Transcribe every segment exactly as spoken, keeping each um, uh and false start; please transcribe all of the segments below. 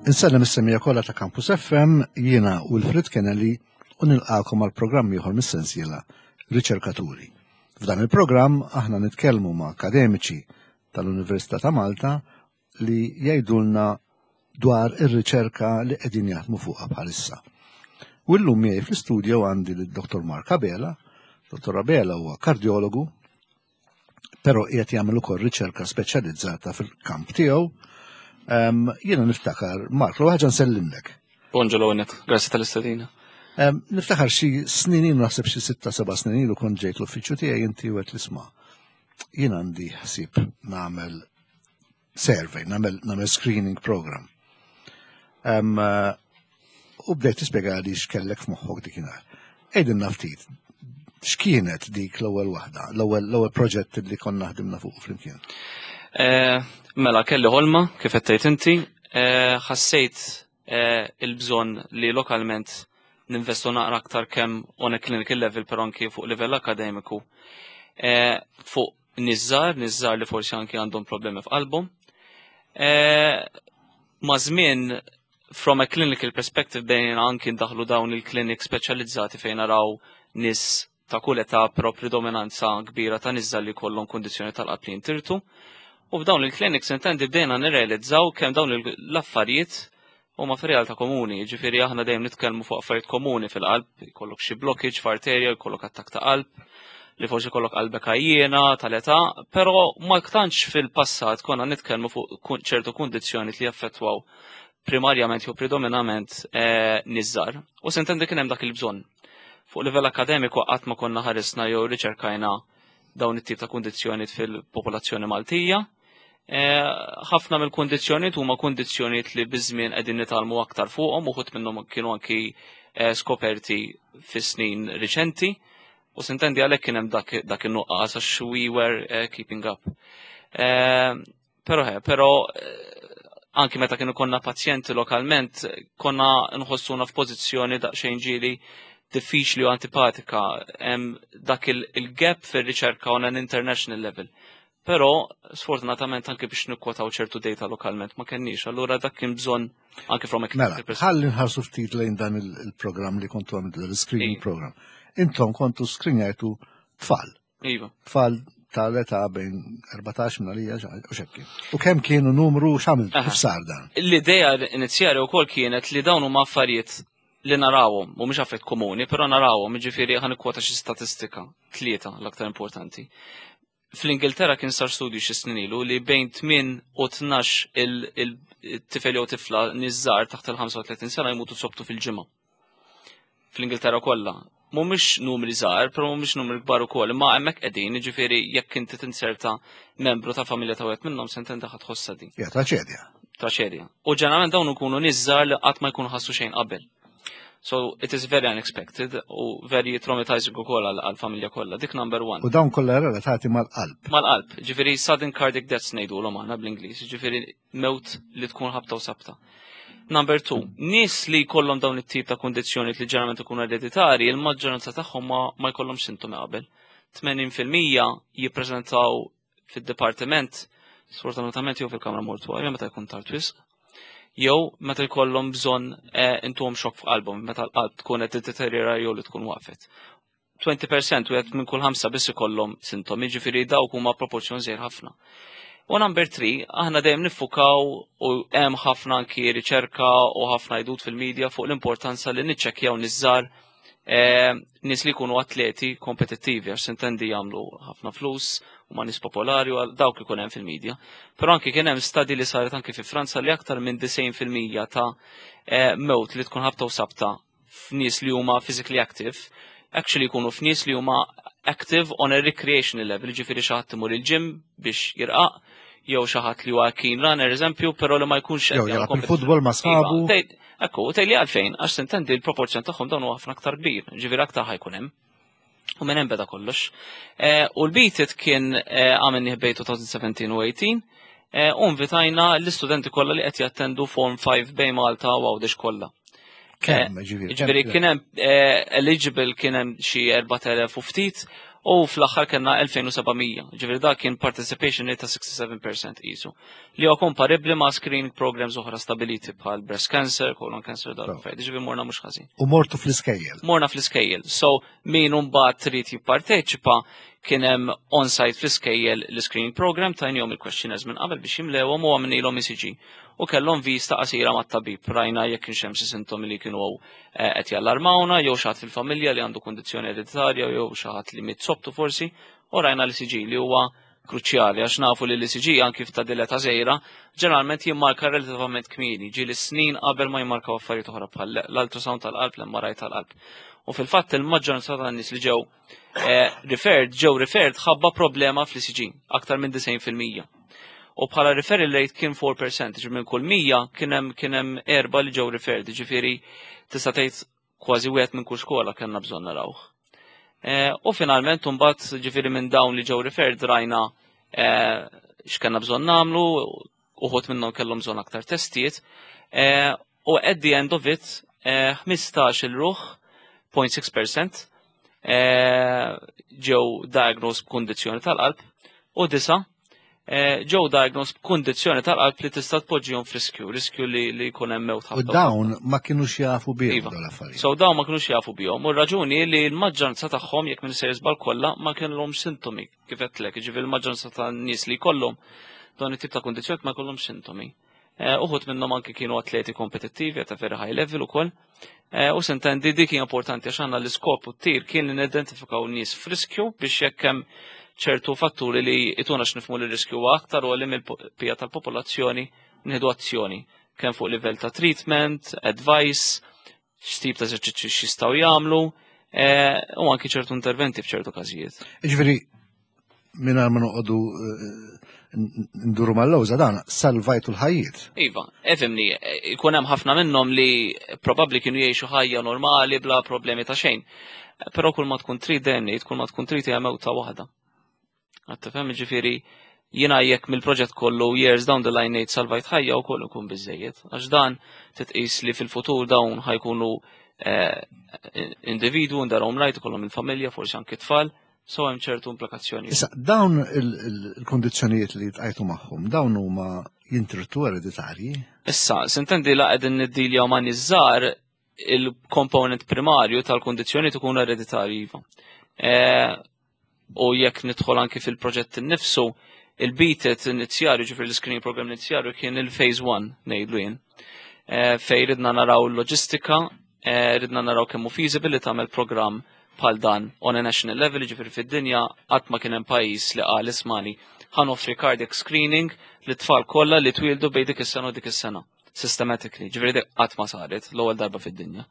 Insellem is-semmiegħa kollha ta' Campus F M, jiena Wilfred Kennelly u nilqakom għal programm ieħor mis-sensiela Riċerkaturi. F'dan il-programm aħna nitkellmu ma' akademiċi tal-Università ta' Malta li jgħidulna dwar ir-riċerka li qegħdin jaħdmu fuqha bħalissa. U llum miegħi fl-istudio għandi lid-Dottor Mark Abela. Dottor Abela huwa kardjologu, però qiegħed jagħmel ukoll riċerka speċjalizzata fil-kamp tiegħu. Um, jiena niftakar, Mark, l ħaġa nsellimlek. Bonġu l-għonet, grazzi tal-istedina. Um, niftakar xi snin ilu, naħseb xi sitta seba' snin ilu, kont ġejt l-uffiċċju tiegħi inti u għedt isma', jien għandi ħsieb nagħmel survey, nagħmel nagħmel screening program. Um, uh, u bdejt tispjega li x'kellek f'moħħok dikinhar. Għidilna ftit, x'kienet dik l-ewwel waħda, l-ewwel l-ewwel proġett li konna ħdimna fuq flimkien? Eh, mela, kelli ħolma, kif qed tgħid inti, eh, ħassejt eh, il-bżonn li lokalment ninvestu naqra aktar kemm on a clinical level, però anki fuq livell akademiku. Fuq nies żgħar, nies żgħar li forsi anki għandhom problemi f'qalbhom. Ma' żmien, from a clinical perspective, bdejna anki ndaħlu dawn il-clinic speċjalizzati fejn naraw nies ta' kull età, però predominanza kbira ta' nies żgħar li kollhom kondizzjoni tal-qalb li jintirtu. U f'dawn il-clinics intendi bdejna nirrealizzaw kemm dawn l-affarijiet huma fir-realtà komuni. Ġifieri aħna dejjem nitkellmu fuq affarijiet komuni fil-qalb, jkollok xi blockage f'arterja, jkollok attakk ta' qalb, li forsi jkollok qalbek għajjiena tal-età, però ma tantx fil-passat konna nitkellmu fuq ċertu kundizzjoni li jaffettwaw primarjament jew predominament eh, nies żgħar. U sintendi kien hemm dak il-bżonn. Fuq livell akademiku qatt ma konna ħarisna jew riċerkajna dawn it-tip ta' kundizzjoni fil-popolazzjoni Maltija. Eh, ħafna mill-kundizzjonijiet huma kundizzjonijiet li biż-żmien qegħdin nitgħallmu aktar fuqhom, uħud minnhom kienu anki eh, skoperti fis-snin riċenti. U sintendi għalhekk kien hemm dak, dak in-nuqqas għax we were uh, keeping up. Eh, Però he, però eh, anki meta kienu konna pazjenti lokalment, konna nħossuna f'pożizzjoni daqsxejn ġieli diffiċli u antipatika, hemm dak il-gap fir-riċerka on an international level. Però sfortunatament anke biex nikkwotaw ċertu data lokalment ma kenniex, allura dak kien bżonn anke from a Mela, ħalli nħarsu ftit lejn dan il-programm li kontu għamiltu, il-screening program. Intom kontu screenjajtu tfal. Iva. Tfal tal-età bejn erbatax minn għalija u xekki. U kemm kienu numru, x'għamiltu, kif sar dan? L-idea inizjali wkoll kienet li dawn huma affarijiet li narawhom, mhumiex affarijiet komuni, però narawhom, jiġifieri ħa nikkwota xi statistika, tlieta l-aktar importanti. Fl-Ingilterra kien sar studju xi snin ilu li bejn tmien u tnax il-tifel jew tifla nies żgħar taħt il-ħamsa u tletin sena jmutu sobtu fil-ġimgħa. Fl-Ingilterra kollha. Mhumiex numri żgħar, però mhumiex numri kbar ukoll, imma hemmhekk qegħdin, jiġifieri jekk inti tinserta membru ta' familja ta' wieħed minnhom, sintendi ħa tħossha din. Ja, traċedja. Traċedja. U ġeneralment dawn ikunu nies żgħar li qatt ma jkunu ħassu xejn qabel. So it is very unexpected u very traumatizing ukoll għal-familja kollha. Dik number one. U dawn kollha relatati mal-qalb. Mal-qalb, ġifieri sudden cardiac deaths ngħidulhom aħna bl-Ingliż, ġifieri mewt li tkun ħabta u sabta. Number two, nies li jkollhom dawn it-tip ta' kondizzjoni li ġeneralment ikunu ereditari, il-maġġoranza tagħhom ma, ma jkollhomx sintomi qabel. tmenin fil-mija jippreżentaw fid-dipartiment, sfortunatament, jew fil-kamra mortuarja meta jkun tard wisq, jew meta jkollhom bżonn eh, intuhom xokk f'qalbhom, meta l-qalb tkun qed tiddeterjora jew li tkun waqfet. għoxrin fil-mija, wieħed minn kull ħamsa biss ikollhom sintomi, ġifieri dawk huma proporzjon żgħir ħafna. U number three, aħna dejjem niffukaw u hemm ħafna anki riċerka u ħafna jdut fil-medja fuq l-importanza li niċċekkjaw nies żgħar, eh, nies li jkunu atleti kompetittivi, għax sintendi jagħmlu ħafna flus u ma nies popolari u għal dawk ikun hemm fil-medja. Però anki kien hemm study li saret anki fi Franza li aktar minn disgħin fil-mija ta' eh, mewt li tkun ħabta u sabta f'nies li huma physically active, actually jkunu f'nies li huma active on a recreational level, ġifieri xi ħadd imur il-gym biex jirqaq, jew xi ħadd li huwa keen runner, eżempju, però li ma jkunx Jew qed jagħmel jilgħab competition. il-futbol ma' sħabu. Iva, tgħid- Ekku, u tgħidli għalfejn, għax sintendi l-proporzjon tagħhom dawn huwa ħafna aktar kbir, ġifieri aktar ħa jkun hemm. U minn hemm beda kollox. Eh, U l-Beat It kien eh, għamilnieh bejn elfejn u sbatax u tmintax, eh, u invitajna l-istudenti kollha li qed jattendu Form ħamsa bejn Malta u Għawdex kollha. Kemm, ġifieri? Ġifieri kien hemm eh, eligible kien hemm xi erbat elef u ftit. U fl-aħħar kellna elfejn u seba' mija. Ġifieri dak kien participation rate ta' sitta u sebgħin fil-mija qisu. Li huwa komparabbli ma' screening programs oħra stabiliti bħal breast cancer, colon cancer, dawn l-affarijiet. Ġifieri morna mhux ħażin. U mortu fl-iskejjel. Morna fl-iskejjel. So min mbagħad trid jipparteċipa, kien hemm on-site fl-iskejjel l-screening program, tajnihom il-questionnaires minn qabel biex jimlewhom u għamilnilhom E C G. U kellhom vista qasira mat-tabib. Rajna jekk kienx hemm xi sintomi li kienu eh, qed jallarmawna, jew xi ħadd fil-familja li għandu kundizzjoni ereditarja, jew xi ħadd li miet sobtu forsi, u rajna l-E C G li huwa kruċjali għax nafu li l-E C G anki f'ta' dileta żgħira ġeneralment jimmarka relativament kmieni, ġieli snin qabel ma jimmarkaw affarijiet oħra bħal l-ultrasound tal-qalb, l-M R I tal-qalb. U fil-fatt il-maġġoranza tan-nies li ġew eh, referred, ġew referred ħabba problema fl-E C G, aktar minn disgħin fil-mija. U bħala referral rate kien erbgħa fil-mija, ġifieri minn kull mija kien hemm kien hemm erba' li ġew referred, ġifieri tista' tgħid kważi wieħed minn kull skola kellna bżonn narawh. Eh, U finalment mbagħad, ġifieri minn dawn li ġew referred, rajna eh, x'kellna bżonn nagħmlu, uħud minnhom kellhom bżonn aktar testijiet. Eh, U at the end of it, eh, ħmistax-il ruħ, zero punt sitta fil-mija, eh, ġew diagnosed b'kundizzjoni tal-qalb u disa eh, ġew diagnosed b'kundizzjoni tal-qalb li tista' tpoġġihom f'riskju, riskju li li jkun hemm mewt U ħabta. dawn ma kienux jafu bihom Iva. dawn l-affarijiet. So dawn ma kinux jafu bihom. U r-raġuni li l-maġġoranza tagħhom, jekk minn sejjer żball kollha, ma kellhom sintomi, kif għedtlek, ġifieri l-maġġoranza tan-nies li jkollhom dawn it-tip ta' kundizzjoni ma jkollhomx sintomi. Eh, Uħud minnhom anki kienu atleti kompetittivi ta' very high level ukoll. Eh, U s'intendi dik hija importanti għax għandna l-iskop u t-tir kien li nidentifikaw nies f'riskju biex jekk hemm ċertu fatturi li jtuna x'nifhmu li riskju huwa aktar u li mill-pija tal-popolazzjoni nieħdu azzjoni kemm fuq livell ta' treatment, advice, x'tip ta' eżerċizzju x'jistgħu jagħmlu, eh, u anki ċertu interventi f'ċertu każijiet. Ġifieri, minn ma noqogħdu eh, nduru mal-lewża, dan salvajtu l-ħajjiet. Iva, ifhimni, ikun hemm ħafna minnhom li probabbli kienu jgħixu ħajja normali bla problemi ta' xejn. Però kull ma tkun trid dejjem ngħid, kull ma tkun trid hija mewta waħda. Qed tifhem? Ġifieri jiena jekk mill-proġett kollu years down the line ngħid salvajt ħajja wkoll ikun biżejjed. Għax dan titqis li fil-futur dawn ħa jkunu eh, individwu in their own right, ikollhom il-familja, forsi anki tfal, so hemm ċertu implikazzjoni. Issa, dawn il-kundizzjonijiet li ltqajtu magħhom, dawn huma jintirtu ereditarji? Issa, s'intendi la qegħdin niddiljaw ma' nies żgħar, il-component primarju tal-kundizzjoni tkun ereditarji, iva. Eh, U jekk nidħol anki fil-proġett innifsu, il-BEAT-IT inizjali, ġifieri l-screening program inizjali kien il-phase one, ngħidlu jien. Eh, Fej ridna naraw l-loġistika, eh, ridna naraw kemm hu feasible li tagħmel program bħal dan on a national level, ġifieri fid-dinja qatt ma kien hemm pajjiż li qal, "Ismagħni, ħa noffri cardiac screening lit-tfal kollha li twildu bejn dik is-sena u dik is-sena." Systematically, ġifieri dik qatt ma saret, l-ewwel darba fid-dinja.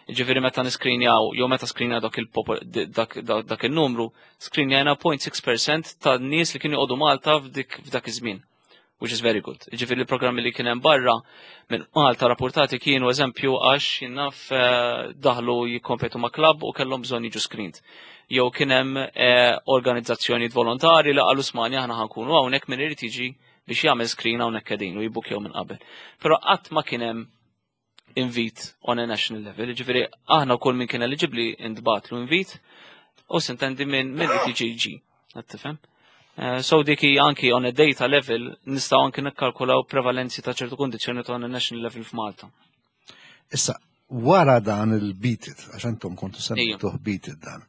Ġifieri meta niskrinjaw, jew meta skrinjaw dak il-popol- dak, dak, dak il-numru, skrinjajna zero punt sitta fil-mija ta' nies li kienu joqogħdu Malta f'dik f'dak iż-żmien, which is very good. Ġifieri l-programmi li kien hemm barra minn Malta rapportati kienu eżempju għax jinnaf eh, daħlu jikkompetu ma' klabb u kellhom bżonn jiġu screened. Jew kien hemm eh, organizzazzjonijiet volontari li qalu, "Ismagħni, aħna ħa nkunu hawnhekk, min irid jiġi biex jagħmel screen hawnhekk qegħdin", u jibbukjaw minn qabel. Però qatt ma kien hemm invite on a national level, ġifieri aħna kull min kien eligibli intbagħatlu invite u s'intendi minn min irid jiġi jiġi. Qed tifhem? Eh, So dik hija anki on a data level nistgħu anki nikkalkulaw prevalenzi ta' ċertu kundizzjoni on a national level f'Malta. Issa, wara dan il-BEAT-IT, għax intom kontu semmejtuh BEAT-IT dan,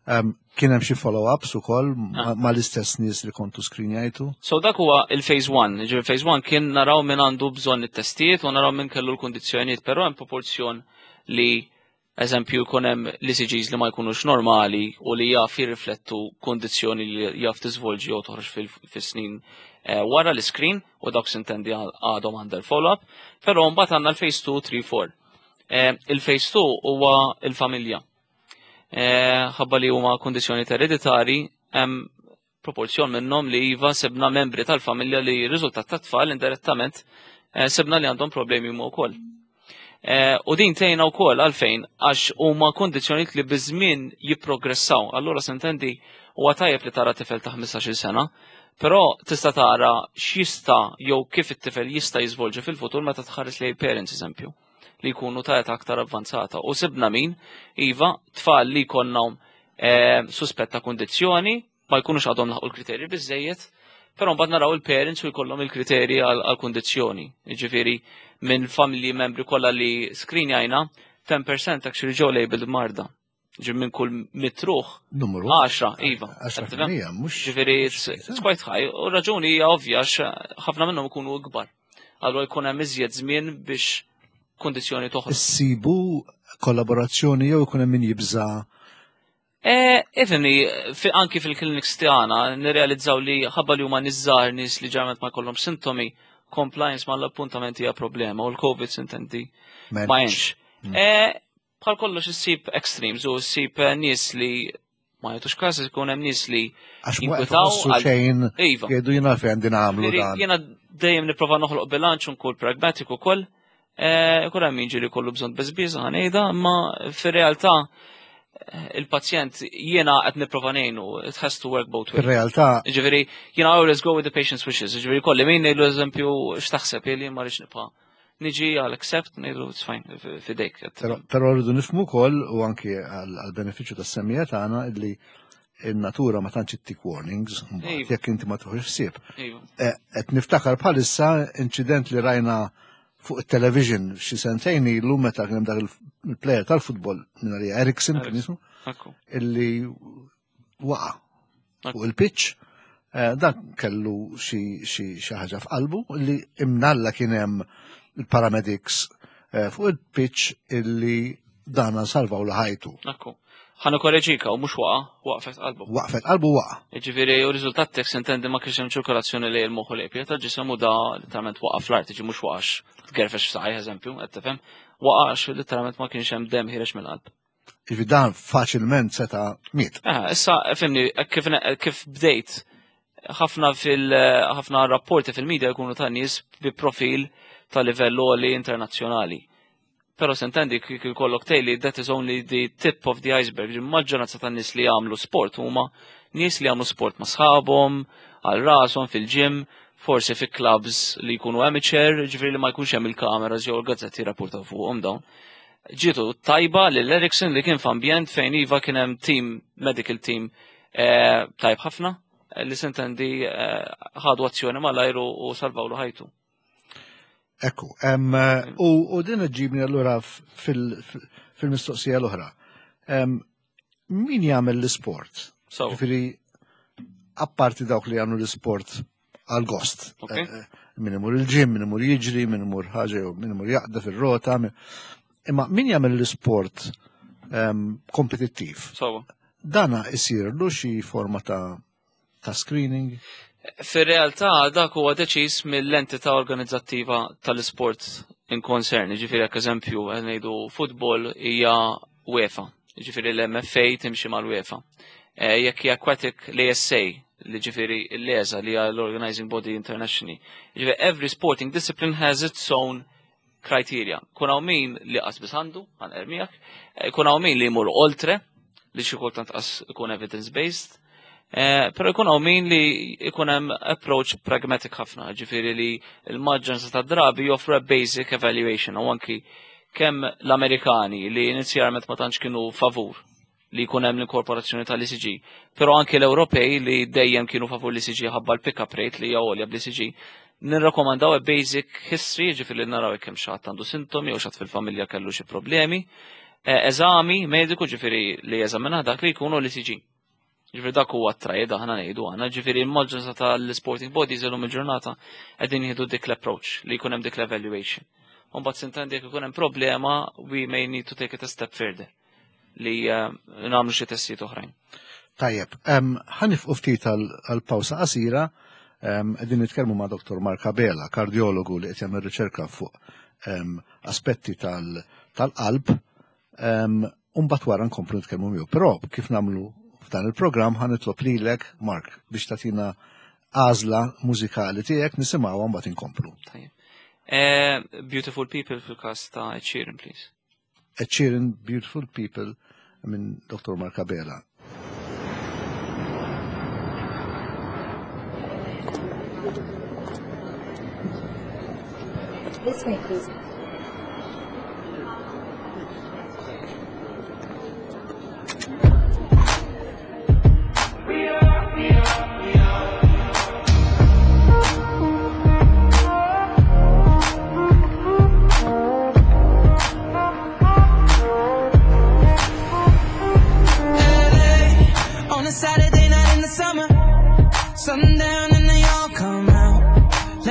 um, kien hemm xi follow-ups ukoll ma- mal-istess nies li kontu skrinjajtu? So dak huwa il-phase one. Ġifieri phase one kien naraw min għandu bżonn it-testijiet u naraw min kellu l-kundizzjonijiet, però hemm proporzjon li eżempju jkun hemm l-E C Gs li ma jkunux normali u li jaf jirriflettu kundizzjoni li jaf tiżvolġi jew toħroġ fil-snin eh, wara l-screen u dawk s'intendi għadhom under follow-up, però mbagħad għandna l-phase two, three, four. Eh, Il-phase two huwa il-familja. Eh, Ħabba li huma kundizzjoni ereditari, hemm proporzjon minnhom li iva sebna membri tal-familja li riżultat ta' tfal indirettament eh, sebna li għandhom problemi huma wkoll. Eh, U din tgħinna wkoll għalfejn għax huma kundizzjonijiet li biż-żmien jipprogressaw. Allura s'intendi huwa tajjeb li tara tifel ta' ħmistax-il sena, però tista' tara x'jista' jew kif it-tifel jista' jiżvolġi fil-futur meta tħares lejn parents, eżempju, li jkunu ta' età aktar avvanzata. U sibna min, iva, tfal li konnhom eh, suspett ta' kundizzjoni, ma jkunux għadhom laħqu l-kriterji biżejjed, però mbagħad naraw il-parents u jkollhom il-kriterji għal kundizzjoni. Jiġifieri minn familji membri kollha li screenjajna, ten percent actually ġew labeled marda. Ġi minn kull mitt ruħ, Numru. għaxra, iva. għaxra fil-mija, mhux. Ġifieri it's, it's quite high. U raġuni hija ovvja, għax ħafna minnhom ikunu ikbar. Allura jkun hemm iżjed żmien biex kundizzjoni toħroġ. Issibu kollaborazzjoni jew ikun hemm min jibża? Eh, Ifhimni, fi, anki fil-clinics tagħna nirrealizzaw li ħabba li huma nies żgħar, nies li ġeneralment ma jkollhom sintomi, compliance mal-appuntamenti hija problema u l-Covid sintendi ma għenx. Eh, Bħal kollox issib extremes u ssib eh, nies li ma jagħtux każ, ikun hemm nies li Għax ma jinkwetaw jħossu għal- xejn, Iva. jgħidu jiena fejn għandi nagħmlu Ġifieri, dan. jiena dejjem nipprova noħloq bilanċ u nkun pragmatic ukoll. Eh, Ikun hemm min ġieli kollu bżonn beżbiża ħa ngħidha, imma fir-realtà eh, il-pazjent jiena qed nipprova ngħinu, it has to work both ways. Fir-realtà Ġifieri, jiena I always go with the patient's wishes. Ġifieri kolli min ngħidlu eżempju x'taħseb li ma rridx nibqa' niġi għal accept, ngħidlu it's fine, f- fidejk. Però però rridu nifhmu wkoll u anki għal benefiċċju tas-semmiegħa tagħna illi in-natura ma tantx ittik warnings mbagħad Iva. jekk inti ma tieħux ħsieb. Iva. Eh, Qed niftakar bħalissa inċident li rajna fuq it-television xi sentejn ilu meta kien hemm dak il-player tal-futbol minn għalija Eriksen kien jismu Ekku. illi waqa fuq il-pitch. Eh, Dak kellu xi xi xi ħaġa f'qalbu li imnalla kien hemm il-paramedics eh, fuq il-pitch illi dana salvaw ħajtu. Ekku. Ħa nikkoreġik, u mhux waqa, waqfet qalbu. Waqfet qalbu, waqa. Ġifieri, u riżultat tek sintendi ma kienx hemm ċirkolazzjoni li l-moħħ u l-ebja tal-ġisem u da literalment waqa fl-art, ġi mhux waqax tgerfex f'saqajh eżempju, qed tifhem, waqax literalment ma kienx hemm dem ħiereġ mill-qalb. Ġifieri dan faċilment seta' miet. Eh, issa, fhimni, kif, kif bdejt, ħafna fil ħafna rapporti fil-medja jkunu ta' nies bi profil ta' livell għoli internazzjonali. Però sintendi kif ikollok tgħidli that is only the tip of the iceberg. Il-maġġoranza ta' nies li jagħmlu sport huma nies li jagħmlu sport ma' sħabhom, għal rashom fil-gym, forsi fi clubs li jkunu amateur, ġifieri li ma jkunx hemm il-kameras jew il-gazzetti rapportaw fuqhom dawn. Ġietu tajba lil Eriksen li kien f'ambjent fejn iva kien hemm team, medical team eh, tajb ħafna, eh, li sintendi eh, ħadu azzjoni malajr u u salvawlu ħajtu. Ekku, em, u, u din ġibni allura fil- fil-mistoqsija l-oħra. Em, Min jagħmel l-isport? So, Ġifieri, apparti dawk li jagħmlu l-isport għal gost. Ok. Eh, eh, Min imur il-gym, min imur jiġri, min imur ħaġa jew min imur jaqda fil-rota. min- Imma min jagħmel l-isport em, kompetittiv? So, Dana isirlu xi forma ta' ta' screening? Fir-realtà dak huwa deċiż mill-entità organizzattiva tal-isport in concern. Ġifieri jekk eżempju qed ngħidu football hija UEFA, ġifieri l-M F A timxi mal-UEFA. Eh, Jekk hija aquatic, l-A S A, li ġifieri l-E S A li hija l-Organizing Body Internationally. Ġifieri every sporting discipline has its own criteria. Kun hawn min li qas biss għandu, ħa nermijak, kun hawn min li jmur oltre, li xi kultant qas ikun evidence based. Eh, Pero jkun hawn min li jkun hemm approach pragmatic ħafna, ġifieri li l-maġġoranza ta' drabi joffru a basic evaluation u anki kemm l-Amerikani li inizjalment ma tantx kienu favur li jkun hemm l-inkorporazzjoni tal-E C G, però anki l-Ewropej li dejjem kienu favur l-E C G ħabba l-pick-up rate li hija għolja bl-E C G, nirrakkomandaw a basic history, ġifieri li naraw kemm xi ħadd għandu sintomi jew xi ħadd fil-familja kellu xi problemi, eh, eżami mediku, ġifieri li jeżamina dak li jkunu l-E C G. Ġifieri dak huwa t-triad aħna ngħidu aħna, ġifieri l-maġġoranza tal-sporting bodies illum il-ġurnata qegħdin jieħdu dik l-approach li jkun hemm dik l-evaluation. U mbagħad sintendi jekk ikun hemm problema, we may need to take it a step further li eh, nagħmlu xi testijiet oħrajn. Tajjeb, em, ħa nieqfu ftit għal pawsa qasira, em, qegħdin nitkellmu ma' Doktor Mark Abela, kardiologu li qed jagħmel riċerka fuq em, aspetti tal- tal-qalb, em, u mbagħad wara nkomplu nitkellmu miegħu. Però kif nagħmlu f'dan il-programm ħa nitlob lilek, Mark, biex tagħtina għażla mużikali tiegħek nisimgħuha mbagħad inkomplu. Tajjeb. Eh, Beautiful People fil-każ ta' Ed Sheeran, please. Ed Sheeran, Beautiful People minn Doktor Mark Abela. This way, please.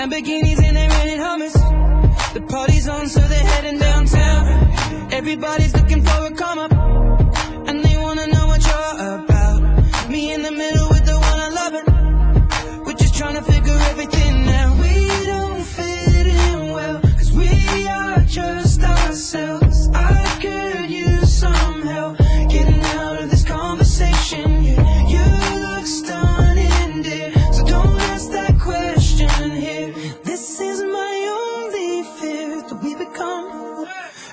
Lamborghinis and they rented Hummers. The party's on, so they're heading downtown. Everybody's looking for a come up, and they wanna know what you're about. Me in the middle with the one I love it. We're just trying to figure everything out. We don't fit in well, cause we are just ourselves. I could use some help getting out of this conversation. Yeah, you look stunning, dear. So don't ask that question here. This is my only fear that we become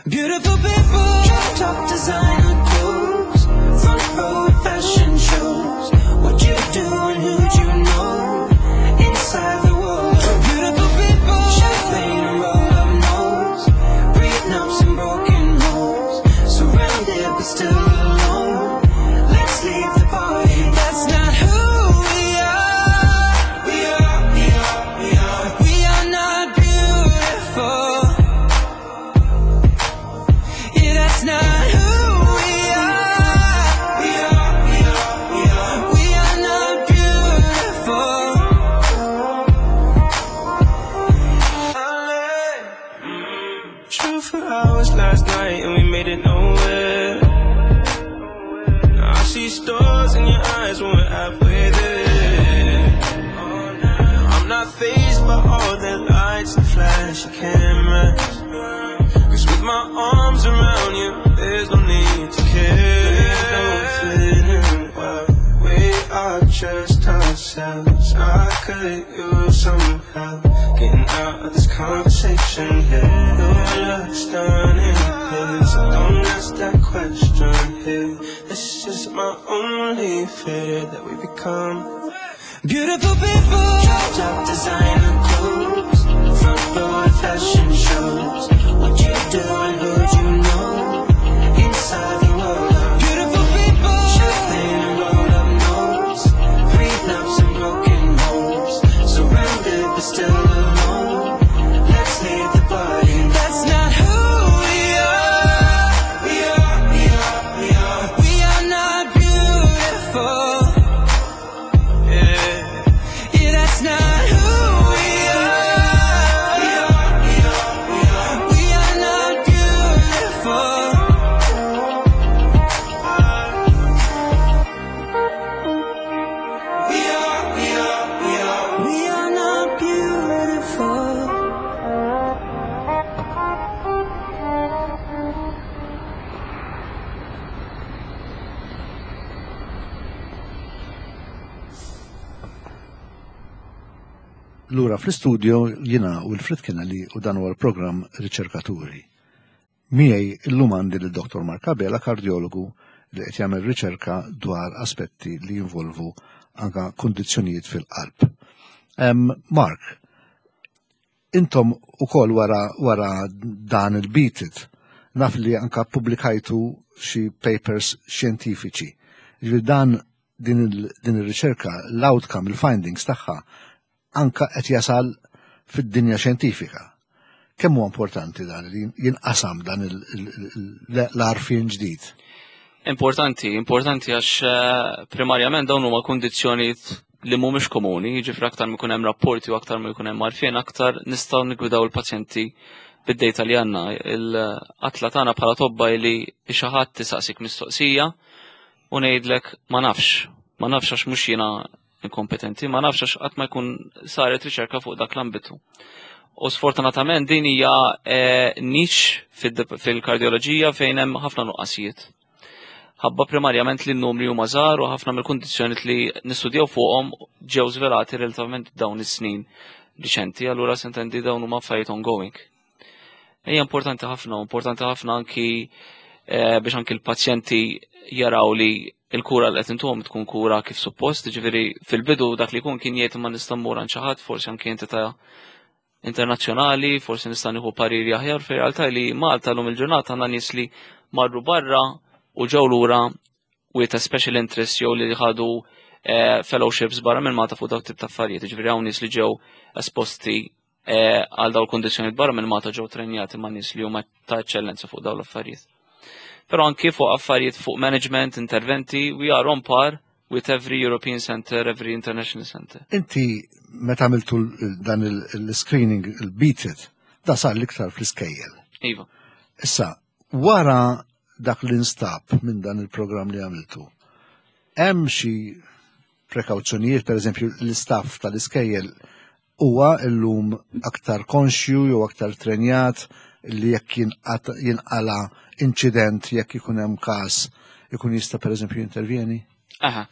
beautiful people. Drop top designer clothes, front row fashion shows. What you do and who'd you know inside the world of beautiful people. Champagne and roll up nose, prenups and broken homes, surrounded but still alone. Let's leave the party. That's not who we are. We are, we are, we are. We are not beautiful. Yeah, that's not who we are. We are, we are, we are. We are not beautiful. Drove for hours last night and we made it nowhere. Now I see stars in your eyes when we're halfway there. I'm not fazed by all the lights and flashy cameras. Cause with my arms around you, there's no need to care. We don't fit in well. We are just ourselves. I could use some help getting out of this conversation here. You look stunning, please. So don't ask that question here. This is my only fear that we become beautiful people. Drop top designer clothes, front row at fashion shows. What you do and who'd you know inside the world of beautiful people. Champagne and roll up nose, prenups and broken homes, surrounded but still alone. Let's leave the party. That's not who we are. We are, we are, we are. We are not beautiful. Yeah. Yeah, that's not who we are. We are, we are, we are. We are not beautiful. We are, we are, we are. We are not beautiful. Lura fl-istudio jiena Wilfred Kennelly u dan huwa l-programm Riċerkaturi. Miegħi illum għandi lil Dottor Mark Abela, kardiologu li qed jagħmel riċerka dwar aspetti li jinvolvu anka kundizzjonijiet fil-qalb. Em, Mark, intom ukoll wara, wara dan il-BEAT IT, naf li anka publikajtu xi papers xjentifiċi. Ġifieri dan din il- din ir-riċerka, l-outcome, il-findings tagħha anka qed jasal fid-dinja xjentifika. Kemm huwa importanti dan li jinqasam dan il- il- il- l-għarfien ġdid? Importanti, importanti għax eh, primarjament dawn huma kundizzjonijiet li mhumiex komuni, jiġifieri aktar ma jkun hemm rapporti u aktar ma jkun hemm għarfien, aktar nistgħu niggwidaw il-pazjenti bid-data li għandna. Il-qatla tagħna bħala tobba li xi ħadd tisaqsik mistoqsija u ngħidlek ma nafx, ma nafx għax mhux jiena inkompetenti, ma nafx għax qatt ma jkun saret riċerka fuq dak l-ambitu. U sfortunatament din hija eh, niche fid- fil-kardioloġija fejn hemm ħafna nuqqasijiet. Ħabba primarjament li n-numri huma żgħar u ħafna mill-kundizzjonijiet li nistudjaw fuqhom ġew żvelati relattivament dawn is-snin riċenti, allura s'intendi dawn huma affarijiet ongoing. Hija importanti ħafna, importanti ħafna anki eh, biex anki l-pazjenti jaraw li il-kura li qed intuhom tkun kura kif suppost, ġifieri fil-bidu dak li jkun kien jgħid ma nista' mmur għand xi ħadd, forsi anki entità internazzjonali, forsi nista' nieħu pariri aħjar, fir-realtà li Malta llum il-ġurnata għandna nies li marru barra u ġew lura with a special interest jew li ħadu eh, fellowships barra minn Malta fuq dawk tip ta' affarijiet. Ġifieri hawn nies li ġew esposti eh, għal dawn il-kundizzjonijiet barra minn Malta ġew trenjati ma' nies li huma ta' eċċellenza fuq dawn l-affarijiet. Però anki fuq affarijiet fuq management, interventi, we are on par with every European center, every international center. Inti meta għamiltu l- dan il-screening, il-Beat It, da sar l-iktar fl-iskejjel. Iva. Issa, wara dak li nstab minn dan il-programm li għamiltu, hemm xi prekawzjonijiet, per eżempju, l-istaff tal-iskejjel huwa illum aktar konxju jew aktar trenjat li jekk jinqat- jinqala inċident, jekk ikun hemm każ, ikun jista' per eżempju jintervjeni? Aha.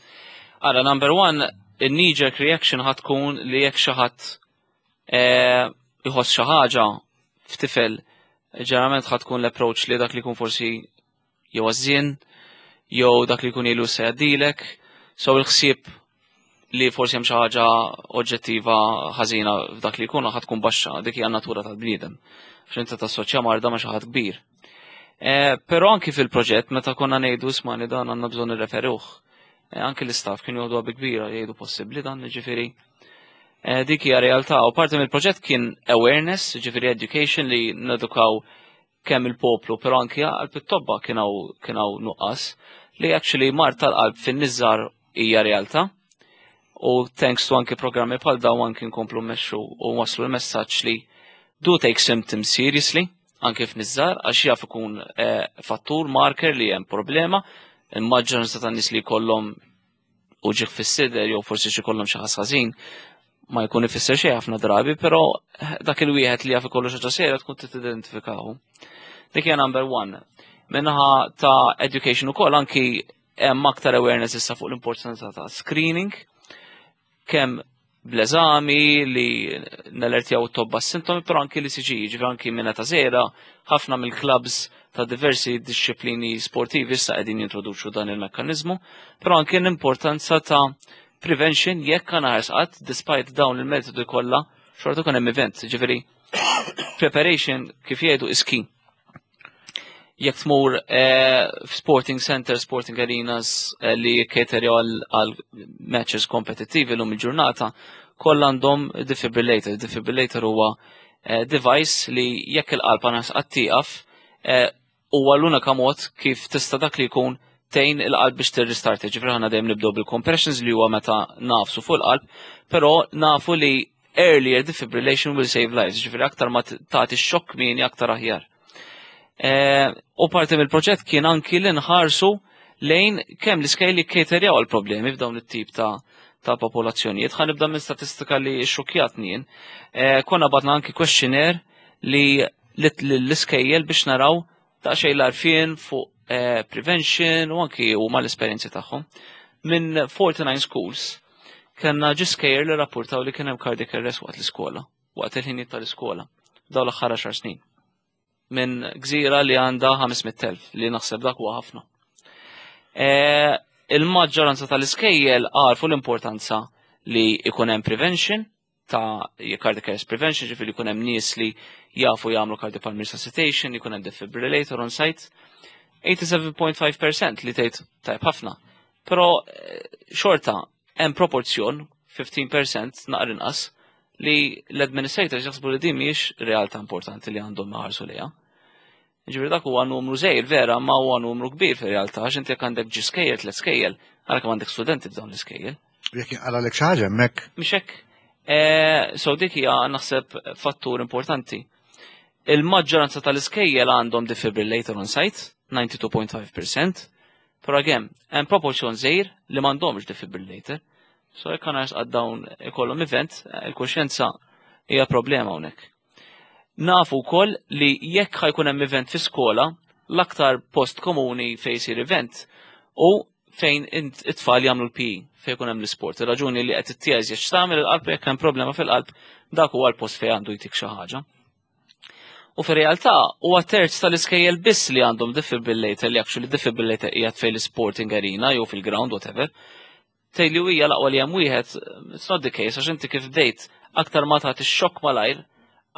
Ara, number one, il-knee-jerk reaction ħa tkun li jekk xi ħadd eh, iħoss xi ħaġa f'tifel, ġeneralment ħa tkun l-approach li dak li jkun forsi jew għażżien, jew dak li jkun ilu se jgħaddilek, so il-ħsieb li forsi hemm xi ħaġa oġġettiva ħażina f'dak li jkun ħa tkun baxxa, dik hija natura tal-bniedem. Għax inti tassoċja marda ma' xi ħadd kbir. Eh, Però anki fil-proġett meta konna ngħidu, "Ismagħni, dan għandna bżonn nirreferuh." Eh, Anki l-istaff kienu joħduha bi kbira, jgħidu, "Possibbli dan?" Ġifieri. Eh, Dik hija realtà u parti mill-proġett kien awareness, ġifieri education li nedukaw kemm il-poplu, però anki għal it-tobba kien hawn kien hawn nuqqas li actually mard tal-qalb fin-nies żgħar hija realtà. U thanks to anki programmi bħal dawn anki nkomplu mmexxu u waslu l-messaġġ li do take symptoms seriously anke f'nies żgħar, għax jaf ikun eh, fattur marker li hemm problema. Il-maġġoranza tan-nies li jkollhom uġigħ fis-sider jew forsi xi jkollhom xi ħass ħażin ma jkun ifisser xejn ħafna drabi, però dak il-wieħed li jaf ikollu xi ħaġa serja tkun tidentifikaw. Dik hija number one. Min-naħa ta' education ukoll anki hemm aktar awareness issa fuq l-importanza ta' screening, kemm bl-eżami li nellertjaw it-tobba s-sintomi, però anki l-E C G, ġifieri anki minn ta' żgħira, ħafna mill-clubs ta' diversi disċiplini sportivi issa qegħdin jintroduċu dan il-mekkaniżmu, però anki l-importanza ta' prevention jekk għana ħarsqat, despite dawn il-metodi kollha, xorta kun hemm event, ġifieri preparation, kif jgħidu, is key. Jekk tmur eh, f'sporting center, sporting arenas eh, li caterjaw għal għal matches kompetittivi l-lum il-ġurnata, kollha għandhom defibrillator. Defibrillator huwa eh, device li jekk il-qalb għana tieqaf, eh, huwa l-unika mod kif tista' dak li jkun tgħin il-qalb biex tirrestart. Ġifieri ħana dejjem nibdew bil-compressions li huwa meta nagħfsu fuq il-qalb, però nafu li earlier defibrillation will save lives, ġifieri aktar ma tagħti xokk kmieni, aktar aħjar. Eh, U parti mill-proġett kien anki li nħarsu lejn kemm l-iskejjel li caterjaw għal problemi f'dawn it-tip ta' ta' popolazzjonijiet. Ħa nibda minn statistika li xokjatni jien. Eh, Konna bgħatna anki questionnaire li l-iskejjel biex naraw ta' xejn l-għarfien fuq eh, prevention u anki u ma l-esperjenzi tagħhom. Minn forty-nine schools, kellna ġie skejjel li rapportaw li kien hemm cardiac arrest waqt l-iskola, waqt il-ħinijiet tal-iskola, dawn l-aħħar għaxar snin. Minn gżira li għandha ħames mitt elf, li naħseb dak huwa ħafna. Eh, Il-maġġoranza tal-iskejjel għarfu l-importanza li ikun hemm prevention ta' cardiac arrest prevention, ġifieri jkun hemm nies li jafu jagħmlu cardiopulmonary resuscitation, jkun hemm defibrillator on site. tmienja u sebgħin punt ħamsa fil-mija li tgħid tajb ħafna. Però eh, xorta hemm proporzjon ħmistax fil-mija naqra inqas li l-administrators jaħsbu li din mhijiex realtà importanti li għandhom iħarsu lejha. Ġifieri dak huwa numru żgħir vera, ma huwa numru kbir fir-realtà, għax inti jekk għandek ġie skejjel, tliet skejjel, ara kemm għandek studenti f'dawn l-iskejjel. Jekk jinqalgħalek xi ħaġa hemmhekk. Mhix hekk? Eh, So dik hija naħseb fattur importanti. Il-maġġoranza tal-iskejjel għandhom defibrillator on site, disgħa u disgħin punt ħamsa fil-mija, però again, hemm proporzjon żgħir li m'għandhomx defibrillator. So jekk għana għad dawn ikollhom event, il-kuxjenza hija problema hawnhekk. Nafu wkoll li jekk ħa jkun hemm event fi skola, l-aktar post komuni fejn jsir event u fejn int- it-tfal jagħmlu l-P E, fejn jkun hemm l-isport. Ir-raġuni li qed ittież jekk tagħmel il-qalb, jekk hemm problema fil-qalb, dak huwa l-post fejn għandu jtik xi ħaġa. U fir-realtà huwa terz tal-iskejjel biss li għandhom defibrillator, li actually defibrillator qiegħed fejn l-sporting arena jew fil-ground, whatever. Tgħid li hija l-aqwa li hemm wieħed, it's not the case, għax inti kif bdejt, aktar ma tagħti xokk malajr,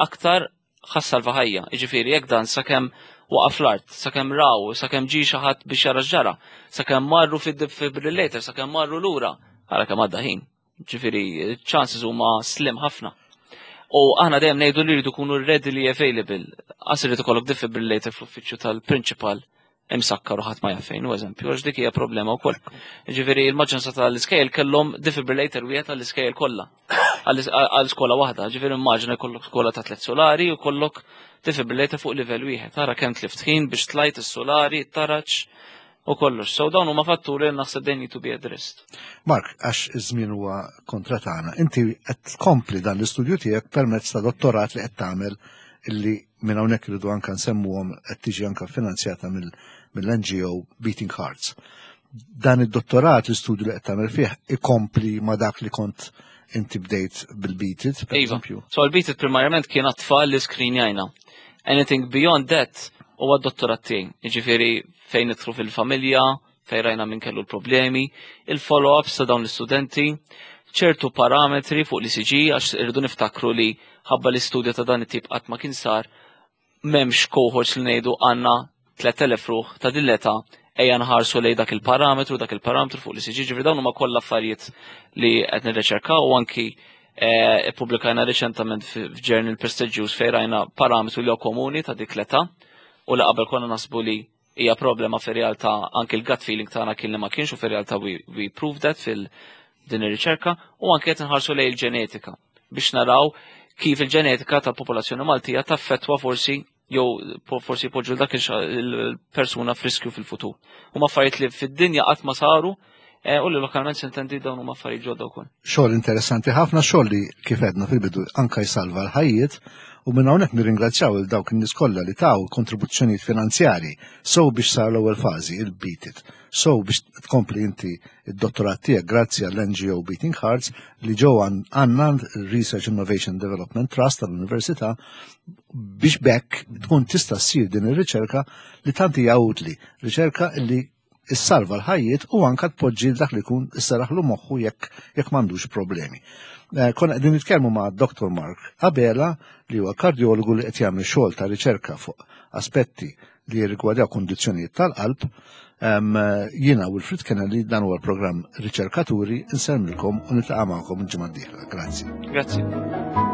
aktar ħa ssalva ħajja. Jiġifieri jekk dan sakemm waqaf l-art, sakemm raw, sakemm ġie xi ħadd biex jara x'ġara, sakemm marru fid-defibrillator, sakemm marru lura, ara kemm għadda ħin. Ġifieri chances huma slim ħafna. U aħna dejjem ngħidu li jridu jkunu readily available. Qas irid ikollok defibrillator fl-uffiċċju tal-principal Imsakkar u ħadd ma jaf fejn, u eżempju, għax dik hija problema wkoll. Ġifieri il-maġġoranza tal-iskejjel kellhom defibrillator wieħed għall-iskejjel kollha. Għal skola waħda, ġifieri immaġina jkollok skola ta' tliet solari u kollok defibrillator fuq livell wieħed. Tara kemm tlift ħin biex tlajt is-solari, it-taraġ u kollox. So dawn huma fatturi li naħseb they need to be addressed. Mark, għax iż-żmien huwa kontra tagħna, inti qed tkompli dan l-istudju tiegħek permezz ta' dottorat li qed tagħmel, illi minn hawnhekk irridu anke nsemmuhom, qed tiġi anke finanzjata mill-N G O Beating Hearts. Dan id-dottorat, l-istudju li qed tagħmel fih, ikompli ma' dak li kont inti bdejt bil-Beat It, per Iva. eżempju. So l-Beat It primarjament kien għat-tfal li screenjajna. Anything beyond that huwa d-dottorat tiegħi. Jiġifieri fejn nidħlu fil-familja, fejn rajna min kellu l-problemi, il-follow-ups ta' dawn l-istudenti, ċertu parametri fuq l-E C G, għax irridu niftakru li ħabba l-istudju ta' dan it-tip qatt ma kien sar, m'hemmx cohorts li ngħidu għandna tliet elef ruħ ta' din l-età, ejja nħarsu lej dak il-parametru, dak il-parametru fuq l-E C G, ġifieri dawn huma kollha affarijiet li qed nirriċerkaw u anki eh, ippubblikajna reċentament f'journal prestigious fejn rajna parametru li huwa komuni ta' dik l-età u li qabel konna nasbu li hija problema, fir-realtà anki l-gut feeling tagħna kien li ma kienx u fir-realtà we, we proved that fil din ir-riċerka. U anke qed inħarsu lejn il-ġenetika biex naraw kif il-ġenetika tal-popolazzjoni Maltija taffettwa forsi jew forsi poġġu dak il-persuna f'riskju fil-futur. Huma affarijiet li fid-dinja qatt ma saru eh, u li lokalment s'intendi dawn huma affarijiet ġodda wkoll. Xogħol interessanti ħafna, xogħol li kif għedna fil-bidu anka jsalva l-ħajjiet, u minn hawnhekk nirringrazzjaw il dawk in-nies kollha li taw kontribuzzjonijiet finanzjarji so biex sar l-ewwel fażi il-Beat It. So biex tkompli inti id-dottorat tiegħek, grazzi għall-N G O Beating Hearts li ġew għandna Research Innovation Development Trust tal-Università biex bekk tkun tista' ssir din ir-riċerka li tant hija utli, riċerka li issalva l-ħajjiet u anka tpoġġi dak li jkun isseraħlu moħħu jekk jekk m'għandux problemi. Eh, konna qegħdin nitkellmu ma' Doctor Mark Abela, li huwa kardjologu li qed jagħmel xogħol ta' riċerka fuq aspetti li jirrigwardaw kondizzjonijiet tal-qalb. Jiena Wilfred Kennedy, dan huwa l-programm Riċerkaturi, insellmilkom u niltaqa' magħkom il-ġimgħa d-dieħla. Grazzi. Grazzi.